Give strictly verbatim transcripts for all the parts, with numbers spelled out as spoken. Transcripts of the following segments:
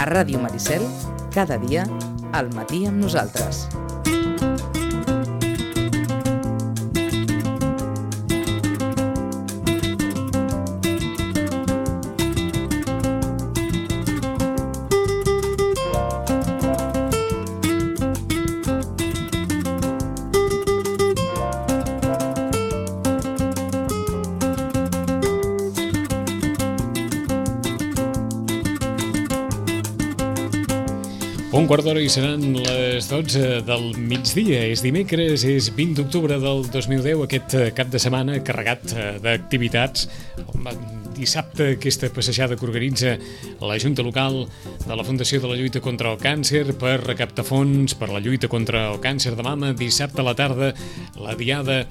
A Ràdio Maricel, cada dia, al matí amb nosaltres. Un quart d'hora i seran les dotze del migdia. És dimecres, és vint d'octubre del dos mil deu, aquest cap de setmana carregat d'activitats. Dissabte, aquesta passejada que organitza la Junta Local de la Fundació de la Lluita contra el Càncer per recaptar fons per la lluita contra el càncer de mama. Dissabte a la tarda, la diada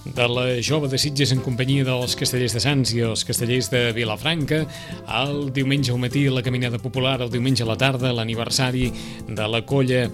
de la Jove de Sitges en companyia dels Castellers de Sants i els Castellers de Vilafranca. El diumenge al matí, la caminada popular. El diumenge a la tarda, l'aniversari de la colla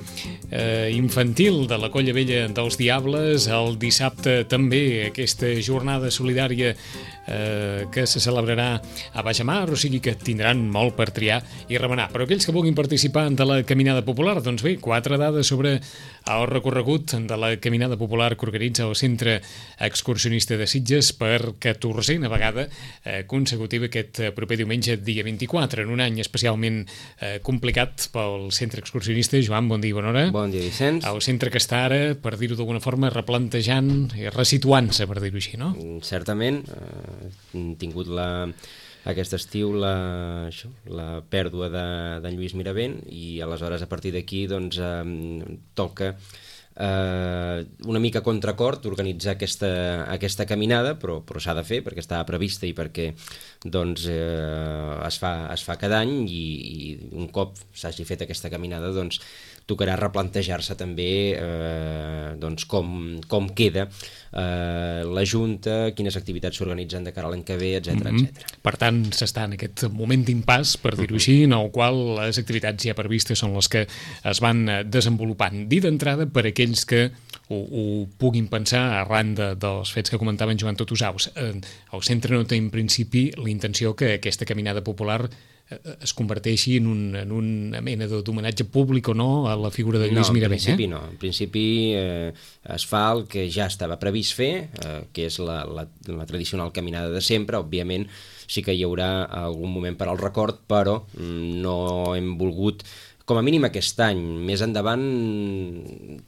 eh, infantil, de la colla vella dels Diables. El dissabte també aquesta jornada solidària eh, que se celebrarà a Baixamar, o sigui que tindran molt per triar i remenar. Però aquells que vulguin participar de la caminada popular, doncs bé, quatre dades sobre el recorregut de la caminada popular que organitza el Centre Excursionista de Sitges per catorzena vegada eh, consecutiva aquest proper diumenge, dia vint-i-quatre, en un any especialment eh, complicat pel Centre Excursionista. Joan, bon dia i bona hora. Bon dia, Vicenç. El centre que està ara, per dir-ho d'alguna forma, replantejant i resituant-se, per dir-ho així, no? Certament, eh, hem tingut la aquest estiu la, això, la pèrdua d'en de Lluís Miravent i aleshores a partir d'aquí doncs, eh, toca eh, una mica contracor organitzar aquesta, aquesta caminada, però, però s'ha de fer perquè estava prevista i perquè doncs, eh, es, fa, es fa cada any i, i un cop s'hagi fet aquesta caminada doncs, tocarà replantejar-se també eh, doncs com, com queda eh, la Junta, quines activitats s'organitzen de cara a l'any que ve, etcètera, mm-hmm. etcètera. Per tant, s'està en aquest moment d'impàs, per dir-ho així, en el qual les activitats ja previstes són les que es van desenvolupant. Dit d'entrada, per aquells que ho, ho puguin pensar arran de, dels fets que comentaven Joan Totusaus, eh, el centre no té en principi la intenció que aquesta caminada popular es converteixi en, un, en una mena d'homenatge públic o no a la figura de Lluís no, Miravent. En principi eh? no. En principi eh, es fa el que ja estava previst fer, eh, que és la, la, la tradicional caminada de sempre. Òbviament sí que hi haurà algun moment per al record, però no hem volgut, com a mínim aquest any. Més endavant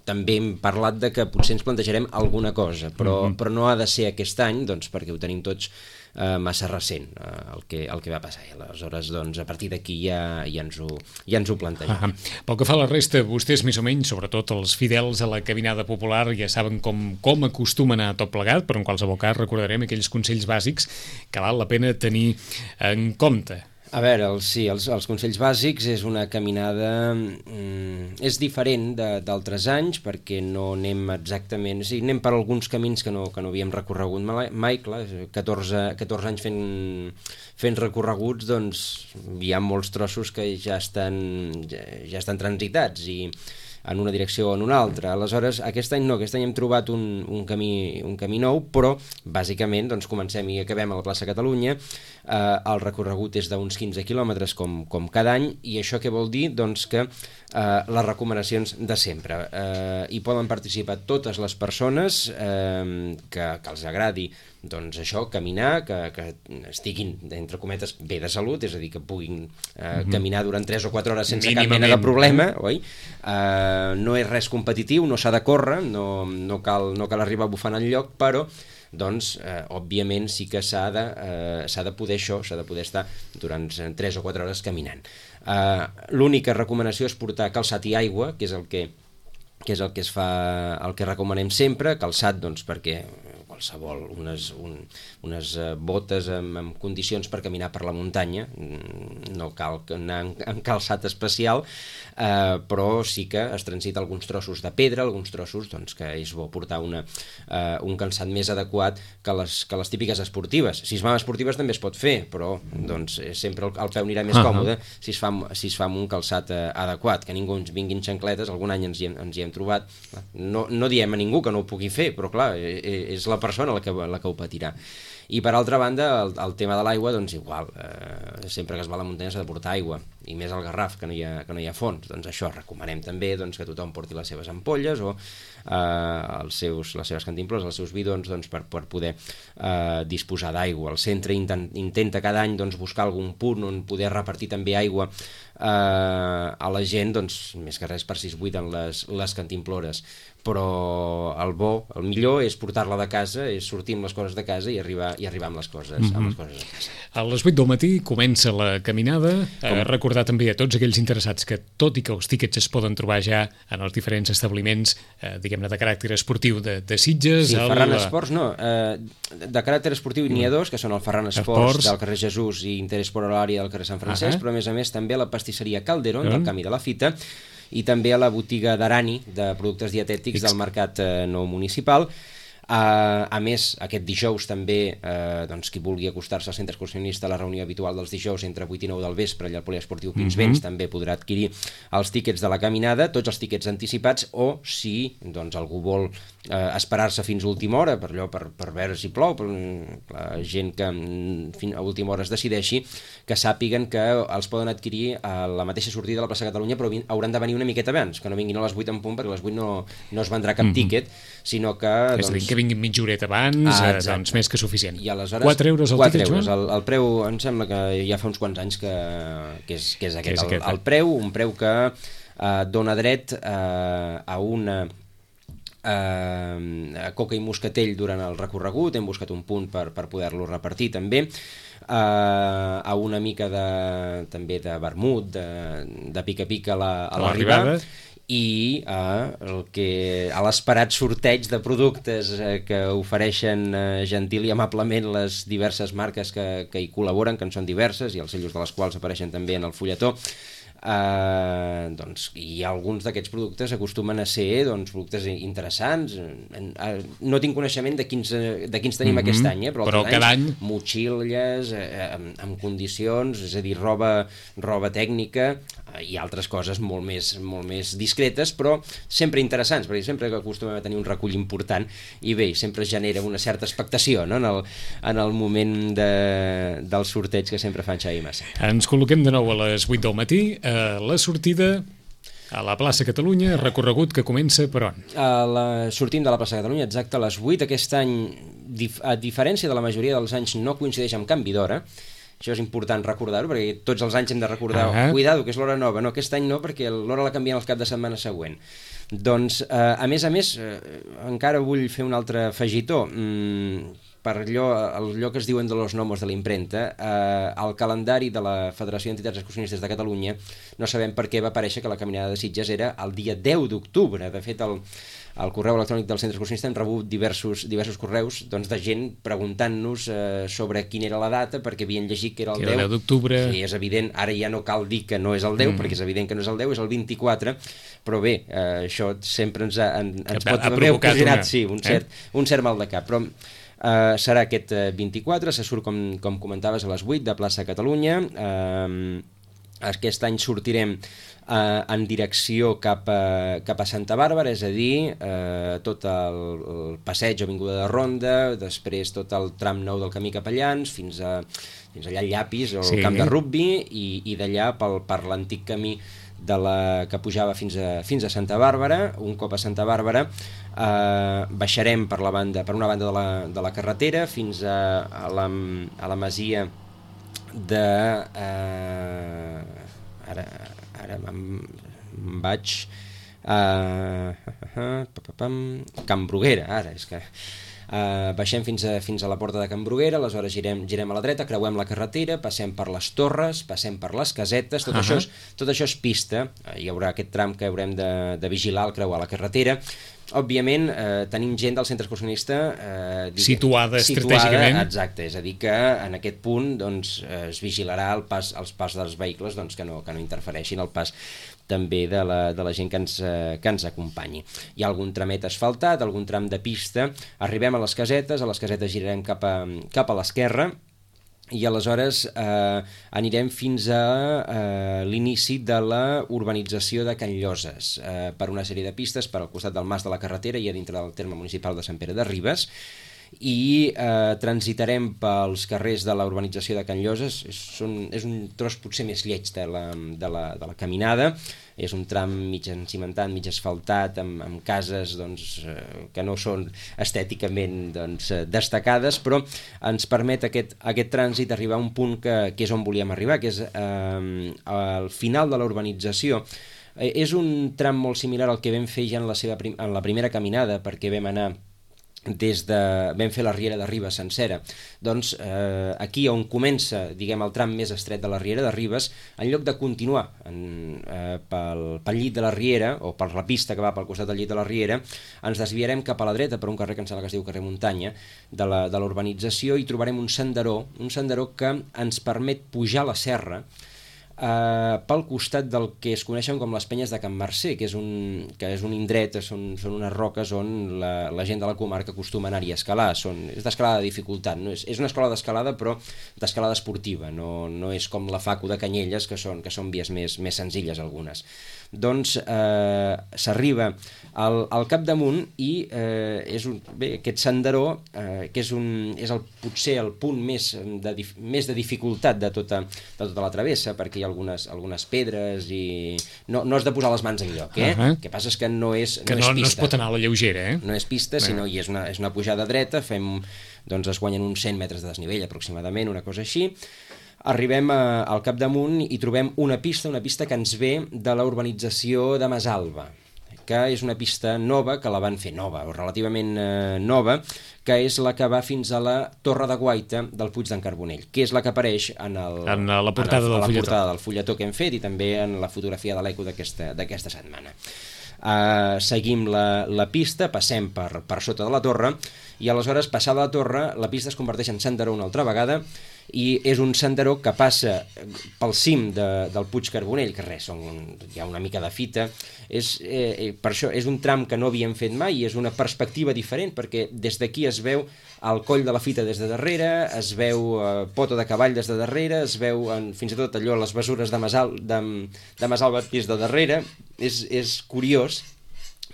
també hem parlat de que potser ens plantejarem alguna cosa, però, mm-hmm. però no ha de ser aquest any, doncs, perquè ho tenim tots Uh, massa recent uh, el, que, el que va passar. I aleshores, doncs, a partir d'aquí ja, ja, ens ho, ja ens ho plantegem. Ah, pel que fa a la resta, vostès més o menys, sobretot els fidels a la caminada popular, ja saben com, com acostumen a tot plegat, però en qualsevol cas recordarem aquells consells bàsics que val la pena tenir en compte. A veure, els, sí, els, els consells bàsics és una caminada... Mm, és diferent d'altres anys perquè no anem exactament... Sí, anem per alguns camins que no, que no havíem recorregut mai, clar, catorze, catorze anys fent, fent recorreguts, doncs hi ha molts trossos que ja estan, ja, ja estan transitats i en una direcció o en una altra. Aleshores, aquest any no, aquest any hem trobat un, un, camí, un camí nou, però bàsicament doncs, comencem i acabem a la plaça Catalunya. Eh, el recorregut és d'uns quinze quilòmetres com, com cada any, i això què vol dir? Doncs que eh, les recomanacions de sempre. Eh, hi poden participar totes les persones eh, que, que els agradi doncs això, caminar, que, que estiguin, entre cometes, bé de salut, és a dir, que puguin eh, mm-hmm. caminar durant tres o quatre hores sense cap mena de problema, oi? Eh, no és res competitiu, no s'ha de córrer, no, no, cal, no cal arribar bufant al lloc, però doncs, eh, òbviament, sí que s'ha de, eh, s'ha de poder això, s'ha de poder estar durant tres o quatre hores caminant. Eh, l'única recomanació és portar calçat i aigua, que és el que, que, és el que es fa, el que recomanem sempre, calçat, doncs, perquè qualsevol, unes, un, unes botes amb, amb condicions per caminar per la muntanya, no cal anar en calçat especial, eh, però sí que es transita alguns trossos de pedra, alguns trossos doncs, que és bo portar una, eh, un calçat més adequat que les, que les típiques esportives. Si es van esportives també es pot fer, però doncs, sempre el, el peu anirà més uh-huh. còmode si es, fa, si es fa amb un calçat eh, adequat, que ningú ens vinguin xancletes, algun any ens hi hem, ens hi hem trobat. No, no diem a ningú que no ho pugui fer, però clar, és la persona la que, la que ho patirà. I per altra banda, el, el tema de l'aigua, doncs igual, eh, sempre que es va a la muntanya s'ha de portar aigua, i més al Garraf, que no hi ha, que no hi ha fons. Doncs això, recomanem també doncs, que tothom porti les seves ampolles o eh, els seus, les seves cantimplors, els seus bidons, doncs, per, per poder eh, disposar d'aigua. El centre intent, intenta cada any doncs, buscar algun punt on poder repartir també aigua eh, a la gent, doncs, més que res per si es buiden les, les cantimplores. Però el bo, el millor és portar-la de casa, és sortir amb les coses de casa i arribar, i arribar amb, les coses, mm-hmm. amb les coses a casa. A les vuit del matí comença la caminada. Eh, recordar també a tots aquells interessats que, tot i que els tíquets es poden trobar ja en els diferents establiments, eh, diguem-ne, de caràcter esportiu de, de Sitges... Sí, el... Ferran Esports, no. Eh, de caràcter esportiu n'hi ha dos, que són el Ferran Esports, Esports. del carrer Jesús i Interesport a l'àrea del carrer Sant Francesc, uh-huh. però a més a més també la pastisseria Calderón, uh-huh. del Camí de la Fita, i també a la botiga d'Arani, de productes dietètics del Mercat eh, Nou Municipal. Uh, a més, aquest dijous també, uh, doncs, qui vulgui acostar-se al centre excursionista a la reunió habitual dels dijous entre vuit i nou del vespre allà al poliesportiu Pinsbens, mm-hmm. també podrà adquirir els tíquets de la caminada, tots els tíquets anticipats, o si doncs, algú vol uh, esperar-se fins a última hora, per allò, per, per veure si plou, per la gent que fins a última hora es decideixi, que sàpiguen que els poden adquirir a la mateixa sortida de la plaça Catalunya, però hauran de venir una miqueta abans, que no vinguin a les vuit en punt, perquè a les vuit no, no es vendrà cap mm-hmm. tíquet, sinó que... És doncs, a dir, que vinguin mitja horeta abans, ah, eh, doncs més que suficient. I aleshores, quatre euros el tíquet, Joan? El, el preu, em sembla que ja fa uns quants anys que, que, és, que és aquest, que és aquest el, el preu, un preu que eh, dona dret eh, a una eh, a coca i moscatell durant el recorregut, hem buscat un punt per, per poder-lo repartir també, eh, a una mica de, també de vermut, de, de pica-pica a l'arribada, la, i a, el que, a l'esperat sorteig de productes eh, que ofereixen eh, gentil i amablement les diverses marques que, que hi col·laboren, que en són diverses, i els sellos de les quals apareixen també en el fulletó. Uh, doncs, i alguns d'aquests productes acostumen a ser doncs, productes interessants. No tinc coneixement de quins, de quins tenim mm-hmm. aquest any, eh? però, però cada any motxilles eh, amb, amb condicions, és a dir, roba, roba tècnica eh, i altres coses molt més, molt més discretes, però sempre interessants, perquè sempre que acostumem a tenir un recull important, i bé, sempre genera una certa expectació, no? en, el, en el moment de, del sorteig que sempre fan Xavi Massa. Ens col·loquem de nou a les vuit del matí. La sortida a la plaça Catalunya, recorregut que comença per on? A la, sortim de la plaça Catalunya exacte a les vuit. Aquest any, dif, a diferència de la majoria dels anys, no coincideix amb canvi d'hora. Això és important recordar-ho, perquè tots els anys hem de recordar, ah, cuidado, que és l'hora nova. No, aquest any no, perquè l'hora la canvien el cap de setmana següent. Doncs, eh, a més a més, eh, encara vull fer un altre afegitó. Mm, per allò, allò que es diuen de los gnomos de la imprenta, eh, el calendari de la Federació d'Entitats Excursionistes de Catalunya no sabem per què va aparèixer que la caminada de Sitges era el dia deu d'octubre. De fet, el, el correu electrònic del centre excursionista hem rebut diversos, diversos correus doncs, de gent preguntant-nos eh, sobre quina era la data, perquè havien llegit que era el que deu d'octubre. Sí, és evident, ara ja no cal dir que no és el deu, mm. perquè és evident que no és el deu, és el vint-i-quatre, però bé, eh, això sempre ens, ha, en, ens pot haver ocasionat sí, un, cert, eh? un cert mal de cap, però Uh, serà aquest uh, vint-i-quatre, se surt, com, com comentaves, a les vuit de plaça Catalunya. Uh, aquest any sortirem uh, en direcció cap a, cap a Santa Bàrbara, és a dir, uh, tot el, el passeig o avinguda de Ronda, després tot el tram nou del camí Capellans, fins, a, fins allà al Llapis, o sí. el camp de rugby, i, i d'allà pel, per l'antic camí de la que pujava fins a, fins a Santa Bàrbara. Un cop a Santa Bàrbara eh, baixarem per, la banda, per una banda de la, de la carretera fins a, a, la, a la masia de eh, ara, ara em, em vaig uh, uh, uh, uh, Can Bruguera, ara és que Uh, baixem fins a, fins a la porta de Can Bruguera, aleshores girem, girem a la dreta, creuem la carretera, passem per les torres, passem per les casetes, tot, uh-huh. això, és, tot això és pista, uh, hi haurà aquest tram que haurem de, de vigilar al creuar la carretera. Òbviament, eh, tenim gent del centre excursionista eh, dic, situada, situada estratègicament. Exacte, és a dir que en aquest punt doncs, eh, es vigilarà el pas, els pas dels vehicles doncs, que, no, que no interfereixin el pas també de la, de la gent que ens, eh, que ens acompanyi. Hi ha algun tramet asfaltat, algun tram de pista, arribem a les casetes, a les casetes girarem cap a, cap a l'esquerra, i aleshores eh, anirem fins a eh, l'inici de la urbanització de Can Lloses, eh, per una sèrie de pistes per al costat del Mas de la Carretera i a dintre del terme municipal de Sant Pere de Ribes, i eh, transitarem pels carrers de la urbanització de Can Lloses. És, són, és un tros potser més lleig de la, de la, de la caminada. És un tram mig encimentat, mig asfaltat, amb, amb cases doncs, eh, que no són estèticament doncs, destacades, però ens permet aquest, aquest trànsit arribar a un punt que, que és on volíem arribar, que és eh, al final de la urbanització. Eh, és un tram molt similar al que vam fer ja en la, seva prim en la primera caminada, perquè vam anar des de... vam fer la Riera de Ribes sencera. Doncs eh, aquí on comença, diguem, el tram més estret de la Riera de Ribes, en lloc de continuar en, eh, pel, pel llit de la Riera, o per la pista que va pel costat del llit de la Riera, ens desviarem cap a la dreta per un carrer que em sembla que es diu carrer Muntanya, de la, de l'urbanització, i trobarem un senderó, un senderó que ens permet pujar la serra, Uh, pel costat del que es coneixen com les penyes de Can Mercè, que és un, que és un indret, són, són unes roques on la, la gent de la comarca acostuma a anar-hi a escalar. Són, és d'escalada de dificultat, no? és, és una escola d'escalada, però d'escalada esportiva, no, no és com la Facu de Canyelles, que són, que són vies més, més senzilles algunes. Doncs eh, s'arriba al, al capdamunt i eh, és un, bé, aquest senderó, eh, que és, un, és el, potser el punt més de, més de dificultat de tota, de tota la travessa, perquè hi ha algunes, algunes pedres i no, no has de posar les mans en lloc, eh? Uh-huh. El que passa és que no és, que no, no, és pista. No es pot anar a la lleugera, eh? No és pista, sinó uh-huh. i és una, és una pujada dreta, fem, doncs es guanyen uns cent metres de desnivell aproximadament, una cosa així. Arribem a, al capdamunt i trobem una pista, una pista que ens ve de la urbanització de Masalba, que és una pista nova, que la van fer nova, o relativament eh, nova, que és la que va fins a la Torre de Guaita del Puig d'en Carbonell, que és la que apareix en, el, en la portada, en el, del, la fulletó. portada del fulletó que hem fet i també en la fotografia de l'Eco d'aquesta d'aquesta setmana. Uh, seguim la, la pista, passem per, per sota de la torre i aleshores, passada la torre, la pista es converteix en senderó una altra vegada i és un senderó que passa pel cim de, del Puig Carbonell, que res, són, hi ha una mica de fita. És, eh, per això és un tram que no havíem fet mai i és una perspectiva diferent, perquè des d'aquí es veu el coll de la fita des de darrere, es veu eh, Pota de Cavall des de darrere, es veu en, fins i tot allò les besures de Masal, de, de Masalba des de darrere. És, és curiós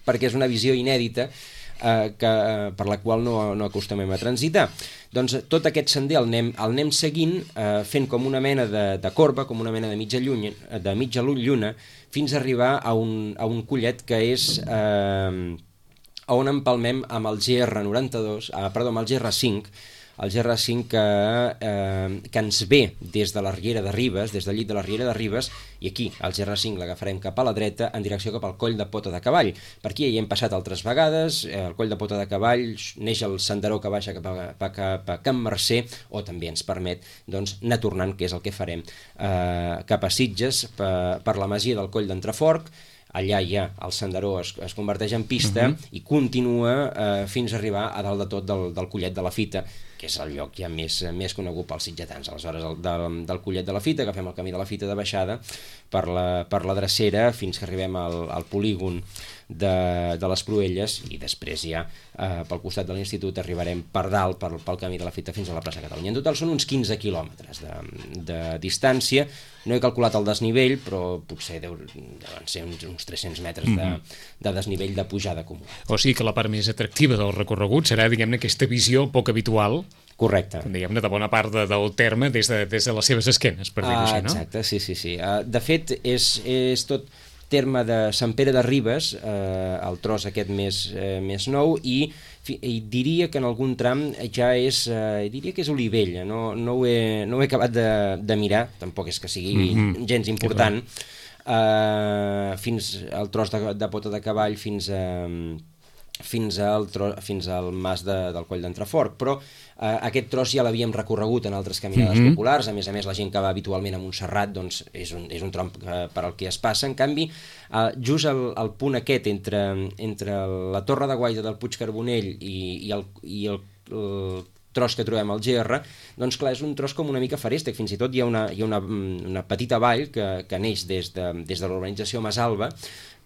perquè és una visió inèdita eh, que, per la qual no, no acostumem a transitar. Doncs tot aquest sender el anem, el anem seguint, eh, fent com una mena de, de corba, com una mena de mitja lluna, de mitja lluna, fins a arribar a un, a un collet que és eh, on empalmem amb el G R noranta-dos, eh, perdó, amb el G R cinc, el G R cinc que, eh, que ens ve des de la Riera de Ribes, des del llit de la Riera de Ribes, i aquí el G R cinc l'agafarem cap a la dreta en direcció cap al coll de Pota de Cavall. Per aquí hi hem passat altres vegades, eh, el coll de Pota de Cavall neix el senderó que baixa cap a, cap a Can Mercè, o també ens permet doncs, anar tornant, que és el que farem, eh, cap a Sitges, per, per la masia del coll d'Entreforc. Allà ja el senderó es, es converteix en pista uh-huh. i continua eh, fins a arribar a dalt de tot del, del Collet de la Fita, que és el lloc ja més, més conegut pels sitgetans. Aleshores, el, del, del Collet de la Fita, agafem el camí de la Fita de baixada per la, per la drecera fins que arribem al, al polígon de, de les Proelles i després ja eh, pel costat de l'institut arribarem per dalt, per, pel camí de la Fita fins a la plaça Catalunya. En total són uns quinze quilòmetres de, de distància. No he calculat el desnivell, però potser deu, deuen ser uns, uns tres-cents metres de, de desnivell de pujada comú. O sigui que la part més atractiva del recorregut serà, diguem-ne, aquesta visió poc habitual. Correcte. Diguem-ne, de bona part de, del terme des de, des de les seves esquenes, per dir-ho així, no? Exacte, sí, sí, sí. Uh, de fet, és, és tot terme de Sant Pere de Ribes, eh, el tros aquest més, eh, més nou, i, i diria que en algun tram ja és, eh, diria que és Olivella, no, no, ho, he, no ho he acabat de, de mirar, tampoc és que sigui mm-hmm. gens important, eh, fins al tros de, de Pota de Cavall, fins a... fins al, tro, fins al mas de, del Coll d'Entreforc, però eh, aquest tros ja l'havíem recorregut en altres caminades mm-hmm. populars. A més a més, la gent que va habitualment a Montserrat doncs, és, un, és un tram eh, per al que es passa. En canvi, eh, just al, al punt aquest entre, entre la Torre de Guaita del Puig Carbonell i, i, el, i el, el tros que trobem al G R, doncs clar, és un tros com una mica feréstec. Fins i tot hi ha una, hi ha una, una petita vall que, que neix des de, des de l'urbanització Masalba,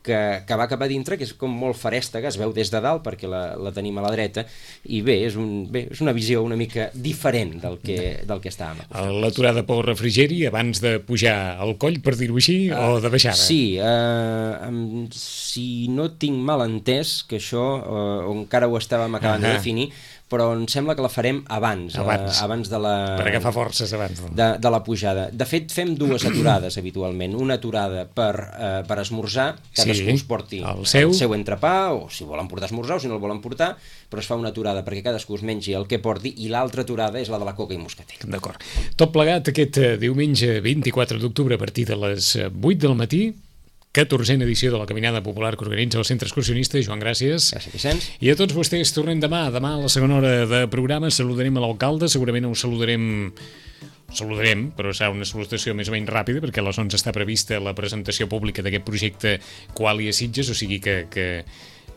Que, que va cap a dintre, que és com molt ferèstega, es veu des de dalt perquè la, la tenim a la dreta, i bé, és, un, bé, és una visió una mica diferent del que, del que estàvem acostumats. L'aturada pel refrigeri abans de pujar al coll, per dir-ho així, uh, o de baixada? Sí, uh, um, si no tinc mal entès, que això uh, encara ho estàvem acabant uh-huh. de definir, però em sembla que la farem abans, abans, eh, abans de la... Per agafar forces abans. De, de la pujada. De fet, fem dues aturades habitualment. Una aturada per, eh, per esmorzar, cadascú sí, es porti el seu. el seu entrepà, o si volen portar esmorzar o si no el volen portar, però es fa una aturada perquè cadascú es mengi el que porti, i l'altra aturada és la de la coca i moscatell. D'acord. Tot plegat aquest diumenge vint-i-quatre d'octubre a partir de les vuit del matí, catorzena edició de la Caminada Popular que organitza el Centre Excursionista. Joan, gràcies. Gràcies, Vicenç. I a tots vostès tornem demà. Demà a la segona hora de programa saludarem a l'alcalde, segurament ho saludarem saludarem, però serà una salutació més o menys ràpida, perquè a les onze està prevista la presentació pública d'aquest projecte Qualia Sitges, o sigui que, que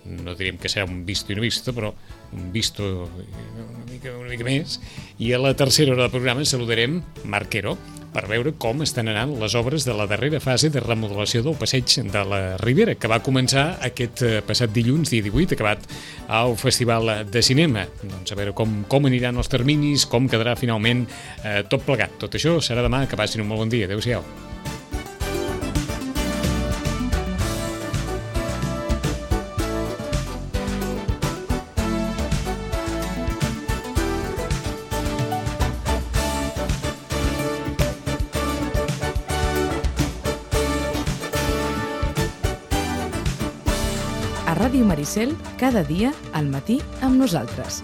no direm que serà un visto i no visto, però un visto una mica, una mica més. I a la tercera hora del programa saludarem Marc Quero per veure com estan anant les obres de la darrera fase de remodelació del passeig de la Ribera, que va començar aquest passat dilluns, dia divuit, acabat al Festival de Cinema. Doncs a veure com, com aniran els terminis, com quedarà finalment eh, tot plegat. Tot això serà demà. Que passin un molt bon dia. Adéu-siau. A Ràdio Maricel, cada dia al matí amb nosaltres.